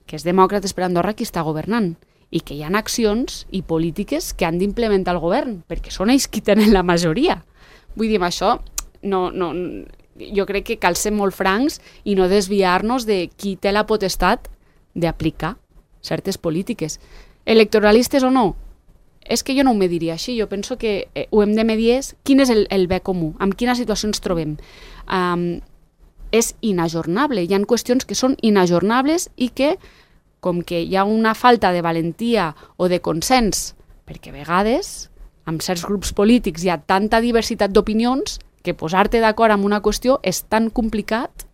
que és Demòcrates per Andorra qui està governant i que hi ha accions i polítiques que han d'implementar el govern, perquè són ells qui tenen la majoria. Vull dir, amb això jo crec que cal ser molt francs i no desviar-nos de qui té la potestat d'aplicar certes polítiques. Electoralistes o no? És que jo no ho mediria així, jo penso que ho hem de medir quin és el bé comú, amb quina situació ens trobem. És inajornable, hi ha qüestions que són inajornables i que, com que hi ha una falta de valentia o de consens, perquè a vegades amb certs grups polítics hi ha tanta diversitat d'opinions que posar-te d'acord amb una qüestió és tan complicat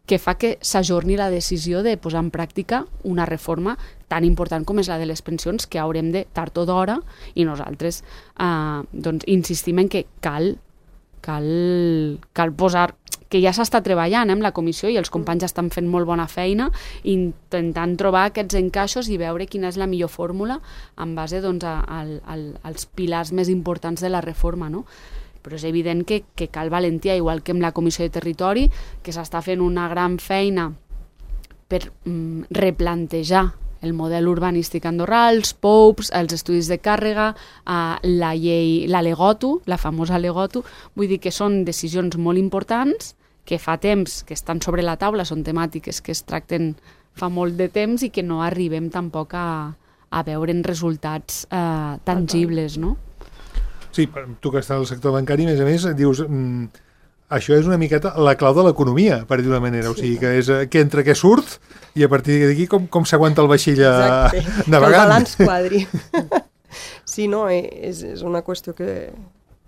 que fa que s'ajorni la decisió de posar en pràctica una reforma tan important com és la de les pensions, que haurem de tard o d'hora, i nosaltres insistim en que cal posar, que ja s'està treballant amb la comissió i els companys estan fent molt bona feina intentant trobar aquests encaixos i veure quina és la millor fórmula en base als pilars més importants de la reforma, no? Però és evident que cal valentia, igual que amb la Comissió de Territori, que s'està fent una gran feina per replantejar el model urbanístic andorrà, els POUPs, els estudis de càrrega, la llei, la Legotu, la famosa Legotu. Vull dir que són decisions molt importants que fa temps que estan sobre la taula, són temàtiques que es tracten fa molt de temps i que no arribem tampoc a veure'n resultats tangibles, no? Sí, tu que estàs al sector bancari, a més, dius... Això és una miqueta la clau de l'economia, per dir d'una manera. O sigui, que és què entra, què surt, i a partir d'aquí com s'aguanta el vaixell navegant. Que el balanç quadri. Sí, no, és una qüestió que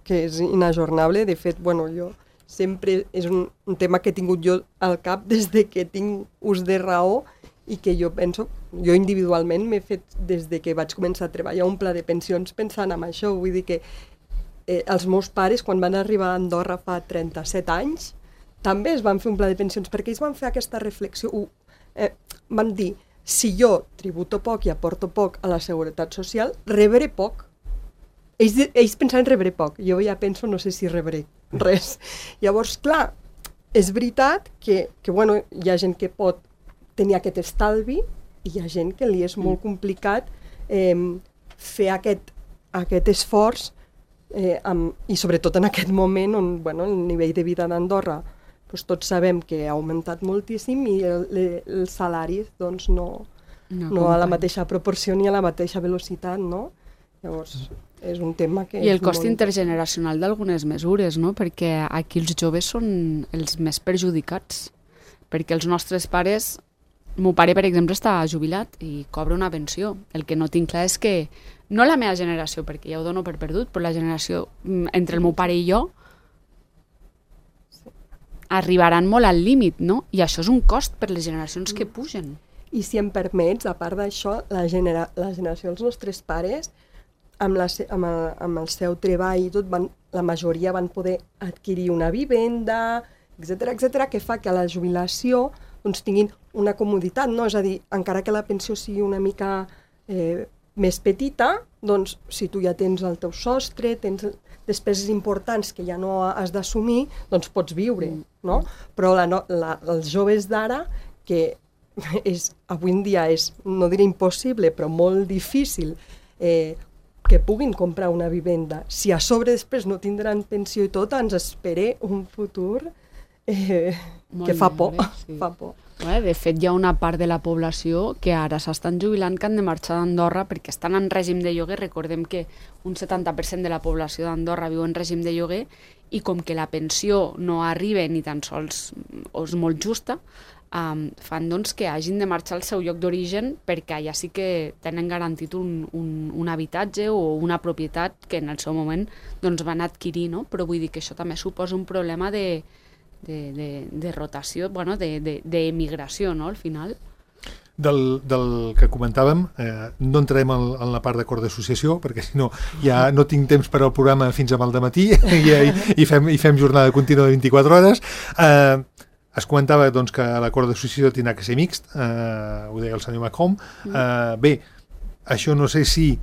és inajornable. De fet, bueno, jo sempre és un tema que he tingut jo al cap des de que tinc ús de raó i que jo penso, jo individualment m'he fet des de que vaig començar a treballar un pla de pensions pensant en això. Vull dir que els meus pares, quan van arribar a Andorra fa 37 anys, també es van fer un pla de pensions, perquè ells van fer aquesta reflexió. Van dir, si jo tributo poc i aporto poc a la seguretat social, rebré poc. Ells pensaven rebré poc. Jo ja penso, no sé si rebré res. Llavors, clar, és veritat que bueno, hi ha gent que pot tenir aquest estalvi i hi ha gent que li és molt complicat fer aquest esforç i sobretot en aquest moment on el nivell de vida d'Andorra tots sabem que ha augmentat moltíssim i els salaris no a la mateixa proporció ni a la mateixa velocitat, no? Llavors és un tema que... I el cost intergeneracional d'algunes mesures, no? Perquè aquí els joves són els més perjudicats, perquè els nostres pares... El meu pare, per exemple, està jubilat i cobra una pensió. El que no tinc clar és que, no la meva generació, perquè ja ho dono per perdut, però la generació entre el meu pare i jo arribaran molt al límit, no? I això és un cost per les generacions que pugen. I si em permets, a part d'això, la generació dels nostres pares, amb el seu treball i tot, la majoria van poder adquirir una vivenda, etc., que fa que a la jubilació tinguin una comoditat, no? És a dir, encara que la pensió sigui una mica més petita, doncs si tu ja tens el teu sostre, tens despeses importants que ja no has d'assumir, doncs pots viure, no? Però els joves d'ara, que avui en dia és, no diré impossible, però molt difícil que puguin comprar una vivenda, si a sobre després no tindran pensió i tot, ens espera un futur que fa por, sí. Fa por. De fet, hi ha una part de la població que ara s'estan jubilant que han de marxar d'Andorra perquè estan en règim de lloguer. Recordem que un 70% de la població d'Andorra viu en règim de lloguer i com que la pensió no arriba ni tan sols o és molt justa, fan que hagin de marxar al seu lloc d'origen perquè allà sí que tenen garantit un habitatge o una propietat que en el seu moment van adquirir, no? Però vull dir que això també suposa un problema de rotació, d'emigració, no?, al final. Del que comentàvem, no entrarem en la part d'acord d'associació, perquè si no ja no tinc temps per al programa fins a maldemmatí i fem jornada contínua de 24 hores. Es comentava que l'acord d'associació tindrà que ser mixt, ho deia el senyor Macomb. Bé, això no sé si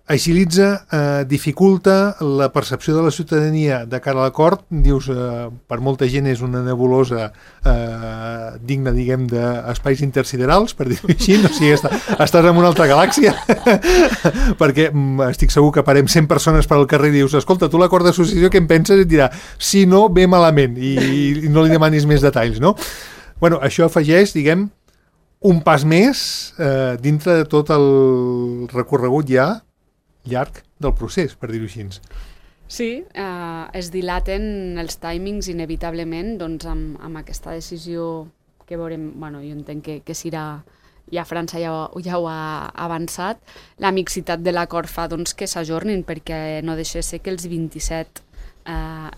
agilitza, dificulta la percepció de la ciutadania de cara a l'acord. Dius, per molta gent és una nebulosa digna, diguem, d'espais intersiderals, per dir-ho així, o sigui, estàs en una altra galàxia, perquè estic segur que parem 100 persones per al carrer i dius, escolta, tu l'acord d'associació què en penses? I et dirà, si no, ve malament, i no li demanis més detalls, no? Bueno, això afegeix, diguem, un pas més dintre de tot el recorregut ja llarg del procés, per dir-ho així. Sí, es dilaten els timings inevitablement amb aquesta decisió que veurem, jo entenc que serà, ja França ja ho ha avançat, la mixitat de l'acord fa que s'ajornin perquè no deixa de ser que els 27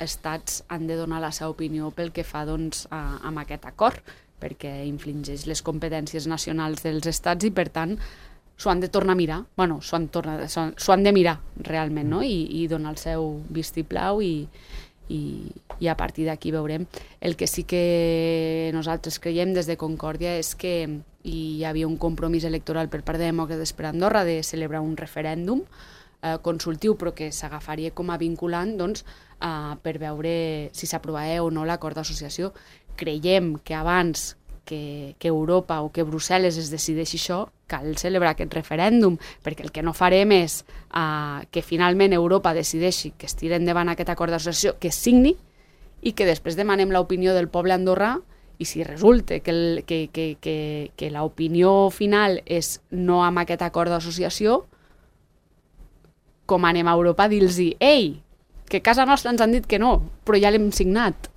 estats han de donar la seva opinió pel que fa amb aquest acord, perquè infligeix les competències nacionals dels estats i per tant s'ho han de tornar a mirar, s'ho han de mirar realment, no? I donar el seu vistiplau i a partir d'aquí veurem. El que sí que nosaltres creiem des de Concòrdia és que hi havia un compromís electoral per part de Demòcrates per Andorra de celebrar un referèndum consultiu però que s'agafaria com a vinculant per veure si s'aprovava o no l'acord d'associació. Creiem que abans que Europa o que Brussel·les es decideixi això, cal celebrar aquest referèndum, perquè el que no farem és que finalment Europa decideixi que es tiri endavant aquest acord d'associació, que es signi, i que després demanem l'opinió del poble andorrà, i si resulta que l'opinió final és no amb aquest acord d'associació, com anem a Europa a dir-los ei, que a casa nostra ens han dit que no, però ja l'hem signat,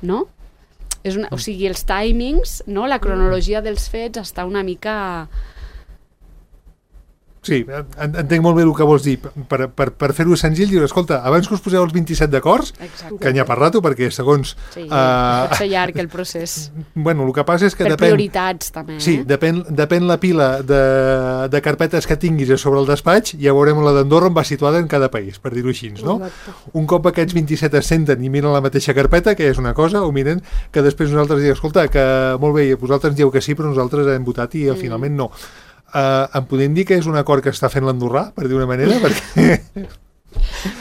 no? O sigui, els timings, no? La cronologia dels fets està una mica... Sí, entenc molt bé el que vols dir. Per fer-ho senzill, dius, escolta, abans que us poseu els 27 d'acords, que n'hi ha per rato, perquè segons... Sí, pot ser llarg el procés. Bueno, el que passa és que per depèn... prioritats, també. Sí, depèn la pila de carpetes que tinguis sobre el despatx, ja veurem la d'Andorra on va situada en cada país, per dir-ho així, no? Exacte. Un cop aquests 27 es senten i miren la mateixa carpeta, que és una cosa, o miren que després nosaltres diem, escolta, que molt bé, vosaltres dieu que sí, però nosaltres hem votat i finalment no. Em podem dir que és un acord que està fent l'andorrà, per dir una manera? Perquè...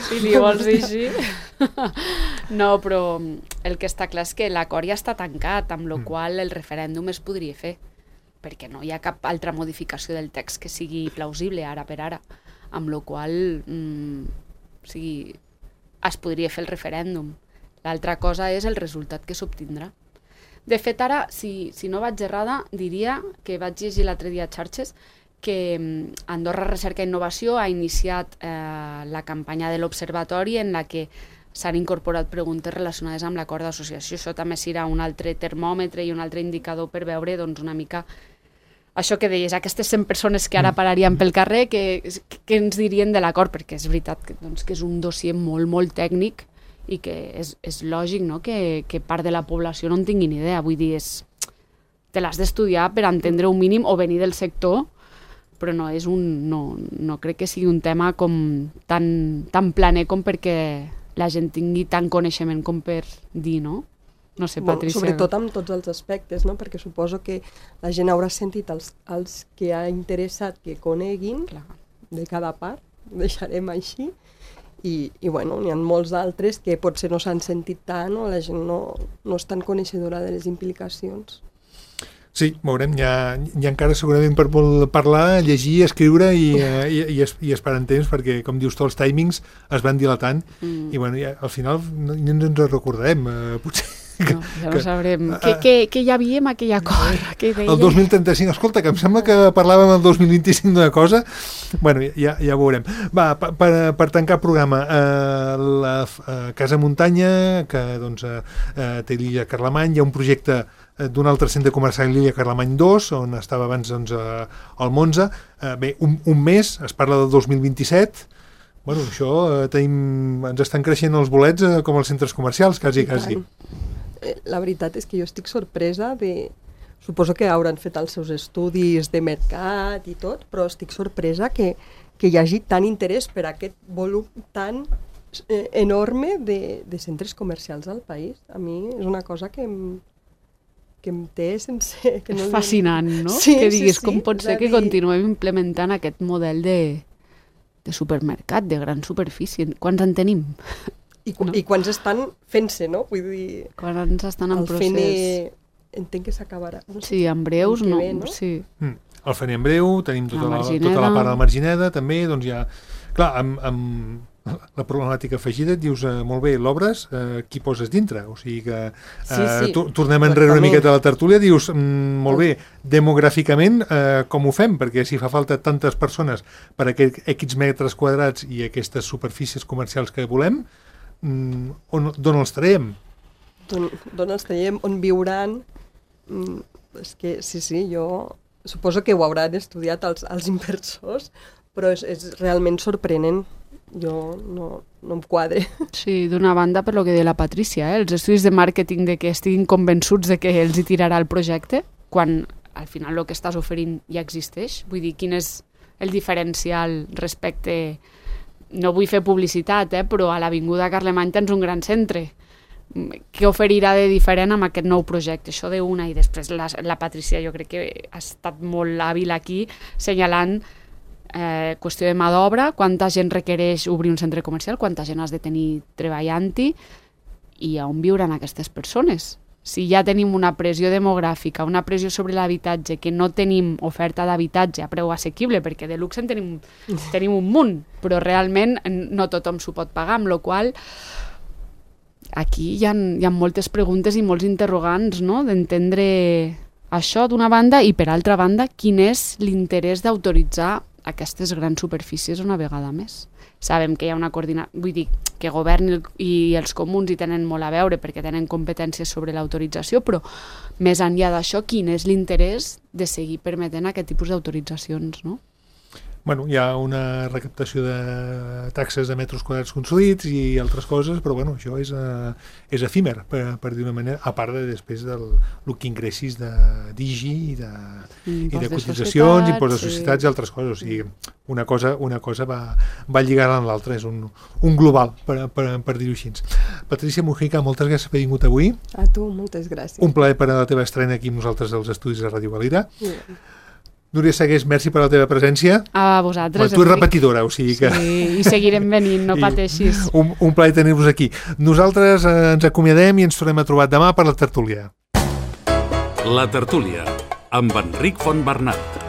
Si li vols dir així. No, però el que està clar és que l'acord ja està tancat, amb la qual el referèndum es podria fer, perquè no hi ha cap altra modificació del text que sigui plausible ara per ara, amb la qual es podria fer el referèndum. L'altra cosa és el resultat que s'obtindrà. De fet, ara, si no vaig errada, diria que vaig llegir l'altre dia a xarxes que Andorra Recerca i Innovació ha iniciat la campanya de l'Observatori en la que s'han incorporat preguntes relacionades amb l'acord d'associació. Això també serà un altre termòmetre i un altre indicador per veure doncs, una mica això que deies, aquestes 100 persones que ara pararien pel carrer, que ens dirien de l'acord, perquè és veritat que és un dossier molt, molt tècnic i que és lògic, no? que part de la població no en tinguin idea. Vull dir, te l'has d'estudiar per entendre un mínim o venir del sector, però no crec que sigui un tema com tan planer com perquè la gent tingui tant coneixement com per dir, no? No sé, Patricia. Sobretot amb tots els aspectes, no? Perquè suposo que la gent haurà sentit els que ha interessat que coneguin de cada part, deixarem així, i bueno, n'hi ha molts d'altres que potser no s'han sentit tant o la gent no és tan coneixedora de les implicacions. Sí, veurem, hi ha encara segurament per parlar, llegir, escriure i esperar en temps, perquè, com dius tu, els timings es van dilatant i bueno, al final no ens recordarem, potser. No, ja no sabrem. Què hi havia en aquell acord? El 2035. Escolta, que em sembla que parlàvem el 2025 d'una cosa. Bueno, ja veurem. Va, per tancar el programa, la Casa Muntanya, que doncs, té l'illa Carlemany, hi ha un projecte d'un altre centre comercial, l'illa Carlemany 2, on estava abans doncs, el Monza. Bé, un mes, es parla del 2027. Bueno, això ens estan creixent els bolets com els centres comercials, quasi. La veritat és que jo estic sorpresa suposo que hauran fet els seus estudis de mercat i tot, però estic sorpresa que hi hagi tant interès per aquest volum tan enorme de centres comercials al país. A mi és una cosa que em té sense... És fascinant, no? Sí, que diguis, sí, com pot ser que continuem implementant aquest model de supermercat, de gran superfície. Quants en tenim? I quants estan fent-se, no? Vull dir... Quants estan en procés? Entenc que s'acabarà. No sé, sí, en breus, no? no? Sí. El faré en breu, tenim tota la part de la Margineda, també, doncs ja... Clar, amb la problemàtica afegida, et dius, molt bé, l'obres, qui poses dintre? O sigui que tornem enrere una miqueta a la tertúlia, dius, molt bé, demogràficament, com ho fem? Perquè si fa falta tantes persones per a aquests metres quadrats i aquestes superfícies comercials que volem, d'on els traiem? D'on els traiem, on viuran? És que, sí, jo suposo que ho hauran estudiat els inversors, però és realment sorprenent. Jo no em quadre. Sí, d'una banda, per lo que deia la Patricia, els estudis de màrqueting de que estiguin convençuts de que els hi tirarà el projecte, quan al final el que estàs oferint ja existeix. Vull dir, quin és el diferencial respecte... No vull fer publicitat, però a l'Avinguda Carlemany tens un gran centre. Què oferirà de diferent amb aquest nou projecte? Això d'una, i després la Patricia jo crec que ha estat molt hàbil aquí, senyalant qüestió de mà d'obra, quanta gent requereix obrir un centre comercial, quanta gent has de tenir treballant-hi i on viuran aquestes persones. si ja tenim una pressió demogràfica, una pressió sobre l'habitatge, que no tenim oferta d'habitatge a preu assequible, perquè de luxe en tenim un munt, però realment no tothom s'ho pot pagar, amb la qual aquí hi ha moltes preguntes i molts interrogants, no?, d'entendre això d'una banda i, per altra banda, quin és l'interès d'autoritzar aquestes grans superfícies una vegada més. Sabem que hi ha una coordinació, vull dir, que govern i els comuns hi tenen molt a veure perquè tenen competències sobre l'autorització, però més enllà d'això, quin és l'interès de seguir permetent aquest tipus d'autoritzacions, no? Bueno, hi ha una recaptació de taxes de metres quadrats construïts i altres coses, però bueno, això és efímer, per dir una manera, a part de després del que ingressis d'IGI i de cotitzacions, impost de societats i altres coses. O sigui, una cosa va lligada amb l'altra, és un global, per dir-ho així. Patricia Mujica, moltes gràcies per haver vingut avui. A tu, moltes gràcies. Un plaer per a la teva estrena aquí amb nosaltres als estudis de Ràdio Valira. Núria Segués, merci per la teva presència. A vosaltres. Tu ets repetidora, o sigui que... Sí, i seguirem venint, no pateixis. Un plaer tenir-vos aquí. Nosaltres ens acomiadem i ens tornem a trobar demà per la tertúlia. La tertúlia, amb Enric Fontbernat.